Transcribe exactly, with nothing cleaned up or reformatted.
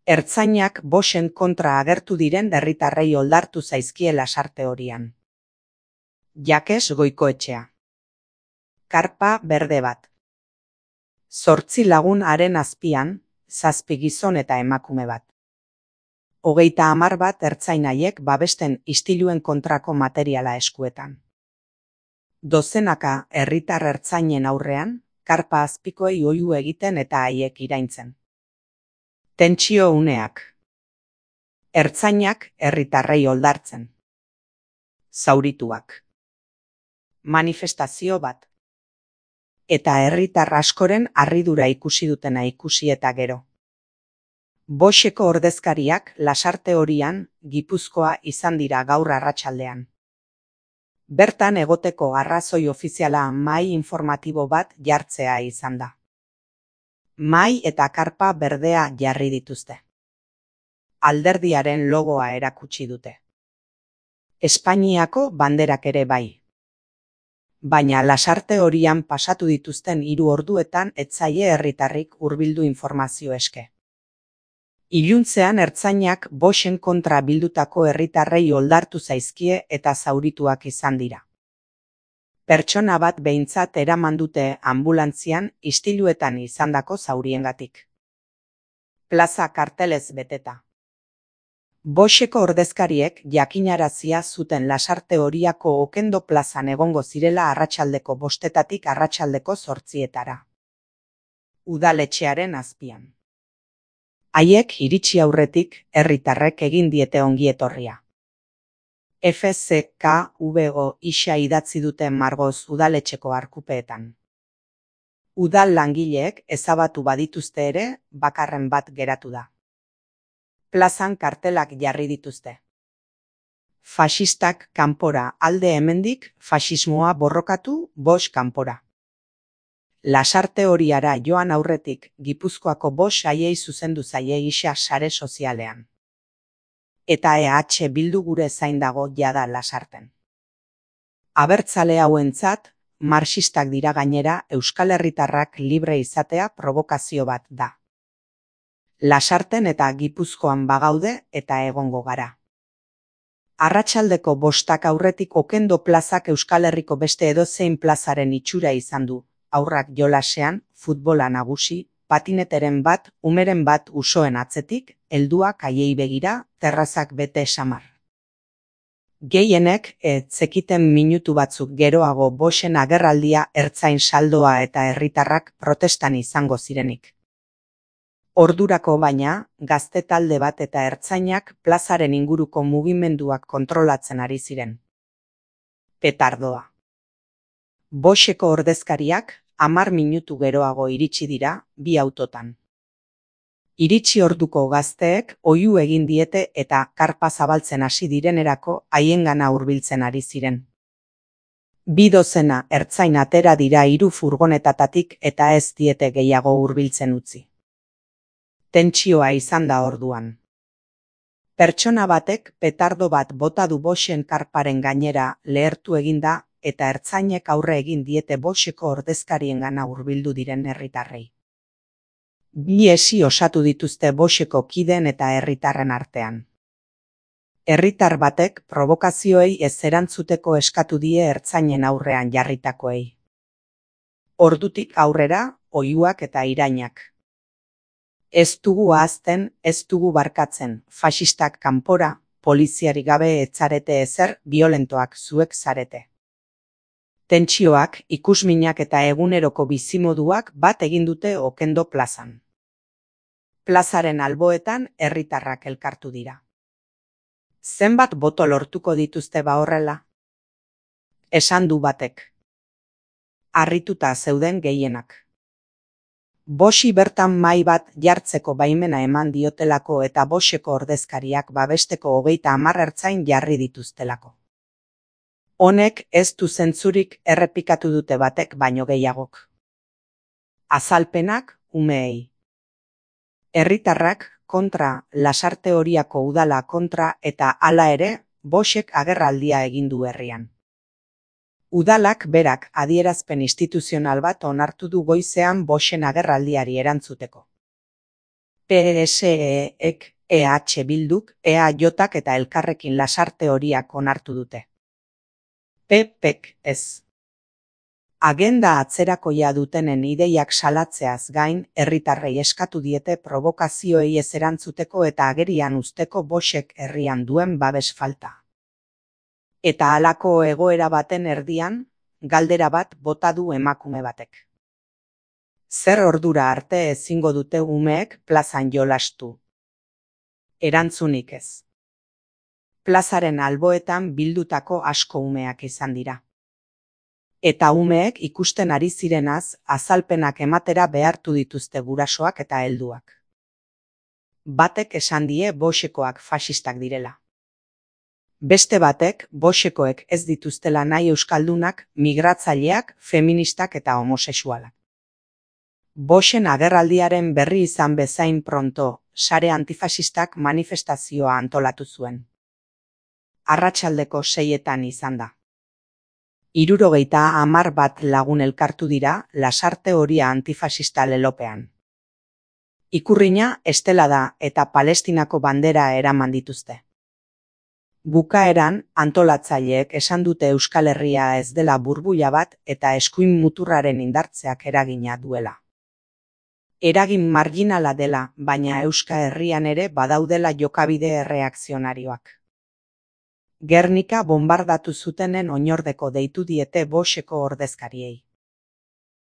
Ertzainak Boschen kontra agertu diren herritarrei oldartu zaizkie Lasarte horian. Jakes Goikoetxea. Karpa berde bat. Zortzi lagun haren azpian, zazpi gizon eta emakume bat. Hogeita hamar bat ertzainaiek babesten istiluen kontrako materiala eskuetan. Dozenaka herritar ertzainen aurrean, karpa azpikoei oihu egiten eta haiek iraintzen. Tentsio uneak. Ertzainak herritarrei oldartzen. Zaurituak. Manifestazio bat. Eta herritar askoren harridura ikusi dutena ikusi eta gero. Boscheko ordezkariak Lasarte horian, Gipuzkoa izan dira gaur arratsaldean. Bertan egoteko arrazoi ofiziala mahai informatibo bat jartzea izan da. Mahai eta karpa berdea jarri dituzte. Alderdiaren logoa erakutsi dute. Espainiako banderak ere bai. Baina Lasarte horian pasatu dituzten hiru orduetan ez zaie herritarrik hurbildu informazio eske. Iluntzean ertzainak Boschen kontra bildutako herritarrei oldartu zaizkie eta zaurituak izan dira. Pertsona bat behintzat eraman dute ambulantzian istiluetan izandako zauriengatik. Plaza kartelez beteta. Boscheko ordezkariek jakinarazia zuten Lasarte horiako Okendo plazan egongo zirela arratsaldeko bostetatik arratsaldeko zortzietara. Udaletxearen azpian. Haiek iritsi aurretik herritarrek egin diete ongietorria. F Z K V O isa idatzi duten margoz udaletxeko arkupeetan. Udal langileek ezabatu badituzte ere, bakarren bat geratu da. Plazan kartelak jarri dituzte. Faxistak kanpora, alde hemendik, faxismoa borrokatu, Bosch kanpora. Lasarte horiara joan aurretik, Gipuzkoako Bosch haiei zuzendu zaie gisa sare sozialean. Eta E H Bildu gure zain dago jada Lasarten. Abertzale hauentzat, marxistak dira gainera Euskal Herritarrak libre izatea provokazio bat da. Lasarten eta Gipuzkoan bagaude eta egongo gara. Arratsaldeko bostak aurretik Okendo plazak Euskal Herriko beste edozein plazaren itxura izan du, haurrak jolasean, futbola nagusi, patineteren bat, umeren bat usoen atzetik, helduak haiei begira, terrazak bete samar. Gehienek ez zekiten minutu batzuk geroago Boschen agerraldia ertzain saldoa eta herritarrak protestan izango zirenik. Ordurako baina, gazte talde bat eta ertzainak plazaren inguruko mugimenduak kontrolatzen ari ziren. Petardoa. Boscheko ordezkariak hamar minutu geroago iritsi dira, bi autotan. Iritsi orduko gazteek oihu egin diete eta karpa zabaltzen hasi direnerako haiengana hurbiltzen ari ziren. Bi dozena ertzain atera dira hiru furgonetatatik eta ez diete gehiago hurbiltzen utzi. Tentsioa izan da orduan. Pertsona batek petardo bat bota du Boschen karparen gainera lehertu egin da eta ertzainek aurre egin diete Boscheko ordezkariengana hurbildu diren herritarrei. Bi esi osatu dituzte Boscheko kideen eta herritarren artean. Herritar batek provokazioei ez erantzuteko eskatu die ertzainen aurrean jarritakoei. Ordutik aurrera, oihuak eta irainak. Ez dugu ahazten, ez dugu barkatzen, faxistak kanpora, poliziari gabe etzarete ezer, violentoak zuek zarete. Tentsioak, ikusminak eta eguneroko bizimoduak bat egin dute Okendo plazan. Plazaren alboetan herritarrak elkartu dira. Zenbat boto lortuko dituzte ba horrela? Esan du batek. Harrituta zeuden gehienak. Boschi bertan mahai bat jartzeko baimena eman diotelako eta Boscheko ordezkariak babesteko hogeita hamar ertzain jarri dituztelako. Honek ez du zentzurik errepikatu dute batek baino gehiagok. Azalpenak umeei. Herritarrak kontra, Lasarte horiako udala kontra eta hala ere, Boschek agerraldia egin du herrian. Udalak berak adierazpen instituzional bat onartu du goizean Boschen agerraldiari erantzuteko. P S E-ek, E H Bilduk, E A Jk eta elkarrekin lasarte horiak onartu dute. P Pek ez. Agenda atzerakoia dutenen ideiak salatzeaz gain, herritarrei eskatu diete provokazioei ez erantzuteko eta agerian uzteko Voxek herrian duen babes falta. Eta halako egoera baten erdian, galdera bat bota du emakume batek. Zer ordura arte ezingo dute umeek plazan jolastu? Erantzunik ez. Plazaren alboetan bildutako asko umeak izan dira. Eta umeek ikusten ari zirenaz azalpenak ematera behartu dituzte gurasoak eta helduak. Batek esan die Voxekoak faxistak direla. Beste batek Voxekoek ez dituztela nahi euskaldunak, migratzaileak, feministak eta homosexualak. Voxen agerraldiaren berri izan bezain pronto, sare antifasistak manifestazioa antolatu zuen. Arratsaldeko seietan izan da. Hirurogeita hamar bat lagun elkartu dira lasarte horia antifasista lelopean. Ikurrina estela da eta Palestinako bandera eraman dituzte. Bukaeran, antolatzaileek esan dute Euskal Herria ez dela burbuila bat eta eskuin muturraren indartzeak eragina duela. Eragin marginala dela, baina Euskal Herrian ere badaudela jokabide erreakzionarioak. Gernika bombardatu zutenen oinordeko deitu diete Voxeko ordezkariei.